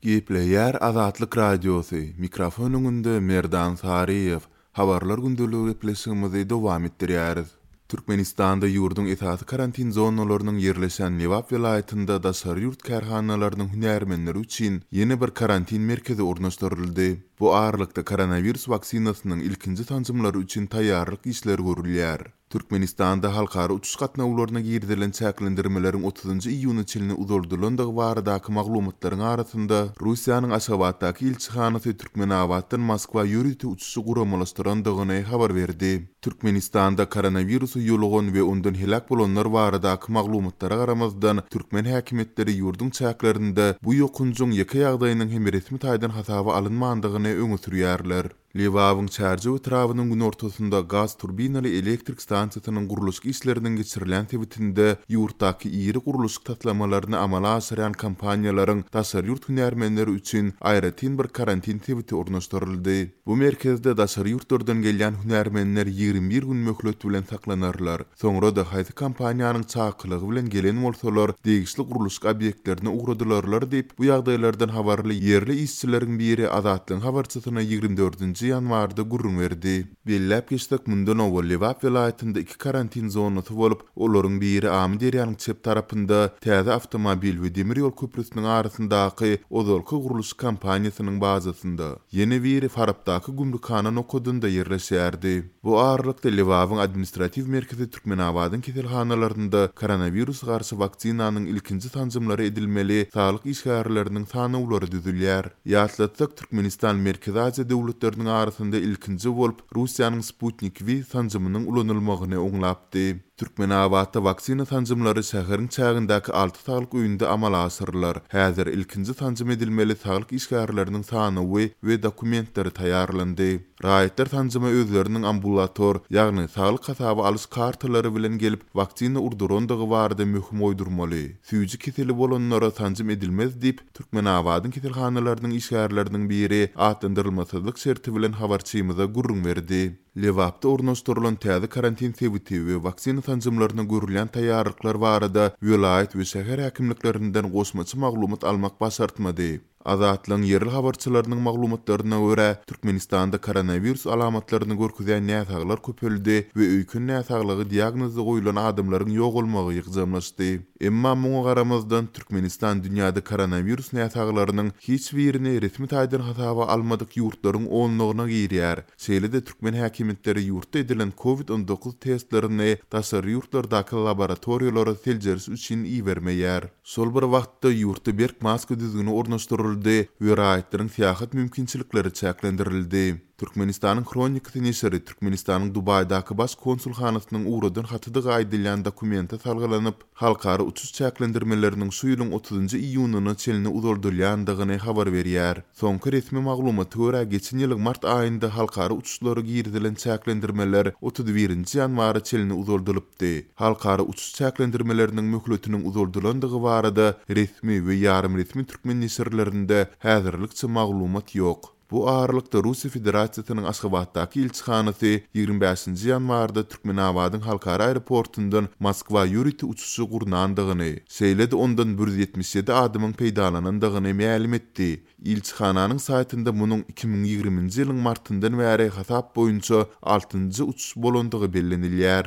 Gepleýär Azatlyk Radiosy, mikrofon öňünde Merdan Saryýew. Habarlar gündeligi gepleşigimizi dowam etdirýäris. Türkmenistanda ýurduň esasy karantin zonalarynyň ýerleşen Lebap welaýatynda daşary ýurt kärhanalarynyň hünärmenleri üçin ýene bir karantin merkezi ornaşdyryldy. Bu aralykda koronawirus waksinasynyň ilkinji sanjymlary üçin taýýarlyk işleri görülýär. Türkmenistanda halkara uçuş gatnawlaryna girizilen çäklendirmeleriň otuzynjy iýuna çenli uzaldylandygy baradaky maglumatlaryň arasynda, Russiýanyň Aşgabatdaky ilçihanasy Türkmenabatdan Moskwa ýörite uçuşy guramalaşdyrandygyny habar berdi. Türkmenistanda koronawirusa ýolugan we ondan heläk bolanlar baradaky maglumatlara garamazdan, türkmen häkimiýetleri ýurduň çäklerinde bu ýokanjyň ýeke ýagdaýynyň hem resmi taýdan hasaba alynmandygyny öňe sürýärler. Lebabyň Çärjew etrabynyň günortasynda gaz turbinaly elektrik stansiýasynyň gurluşyk işleriniň geçirilýän sebitinde ýurtdaky iri gurluşyk taslamalaryny amala aşyrýan kompaniýalaryň daşary ýurt hünärmenleri üçin aýratyn bir karantin sebiti ornaşdyryldy. Bu merkezde daşary ýurtlardan gelýän hünärmenler 21 gün möhlet bilen saklanarlar. Soňra-da haýsy kompaniýanyň çakylygy bilen gelen bolsalar, degişli gurluşyk obýektlerine ugradylarlar diýip, bu ýagdaýlardan habarly ýerli işçileriň biri Azatlygyň habarçysyna 24 nji ýanwarda gürrüň berdi. Belläp geçsek, mundan owal Lebap welaýatynda iki karantin zonasy bolup, olaryň biri Amyderýanyň çep tarapynda, täze awtomobil we demir ýol köprüsiniň arasyndaky ozalky gurluşyk kompaniýasynyň bazasynda, ýene biri Farapdaky gümrükhana nokadynda ýerleşýärdi. Bu aralykda, Lebabyň administratiw merkezi Türkmenabadyň keselhanalarynda koronawirusa garşy waksinanyň ilkinji sanjymlary edilmeli saglyk işgärleriniň sanawlary düzülýär. Ýatlatsak, Türkmenistan Merkezi Aziýa döwletleriniň arasynda ilkinji bolup Russiýanyň Sputnik V sanjymynyň ulanylmagyny oňlapdy. Türkmenabatda waksina sanjymlary şäheriň çägindäki alty saglyk öýünde amala aşyrylar. Häzir ilkinji sanjym edilmeli saglyk işgärleriniň sanawy we dokumentleri taýýarlandy. Raýatlar sanjyma özleriniň ambulator, ýagny saglyk hasaba alyş kartalary bilen gelip, waksina urdurandygy barada möhüm goýdurmaly. Süýji keseli bolanlara sanjym edilmez diýip, Türkmenabadyň keselhanalarynyň işgärleriniň biri atlandyrylmasyzlyk şerti bilen habarçymyza gürrüň berdi. Lebapda ornaşdyrylan täze karantin sebiti we waksina sanjymlaryna görülýän taýýarlyklar barada welaýat we şäher häkimliklerinden goşmaça maglumat almak başartmady. Azatlygyň ýerli habarçylarynyň maglumatlaryna görä, Türkmenistanda koronawirus alamatlaryny görkezýän näsaglar köpeldi we öýken näsaglygy diagnozy goýlan adamlaryň ýogalmagy ýygjamlaşdy. Emma muňa garamazdan, Türkmenistan dünýäde koronawirus näsaglarynyň hiç birini resmi taýdan hasaba almadyk ýurtlaryň onlugyna girýär. Şeýle-de türkmen häkimiýetleri ýurtda edilen Covid 19 testlerini daşary ýurtlardaky laboratoriýalara seljeriş üçin ibermeýär. Şol bir wagtda, ýurtda berk maska düzgüni ornaşdyryldy we raýatlaryň syýahat mümkinçilikleri çäklendirildi. Türkmenistanyň Hronikasy neşiri Türkmenistanyň Dubaýdaky Baş konsulhanasynyň ugradan hatydygy aýdylýan dokumente salgylanyp, halkara uçuş çäklendirmeleriniň şu ýylyň otuzynjy iýunyna çenli uzaldylýandygyny habar berýär. Soňky resmi maglumata görä, geçen ýylyň mart aýynda halkara uçuşlara girizilen çäklendirmeler 31 nji ýanwara çenli uzaldylypdy. Halkara uçuş çäklendirmeleriniň möhletiniň uzaldylandygy barada resmi we ýarym resmi türkmen neşirlerinde häzirlikçe maglumat ýok. Bu aralykda, Russiýa Federasiýasynyň Aşgabatdaky ilçihanasy 25 nji ýanwarda Türkmenabadyň halkara aeroportundan Moskwa ýörite uçuşy gurnandygyny, şeýle-de ondan 177 adamyň peýdalanandygyny mälim etdi. Ilçihananyň saýtynda munuň 2020-nji ýylyň martyndan bäri hasap boýunça altynjy uçuş bolandygy bellenilýär.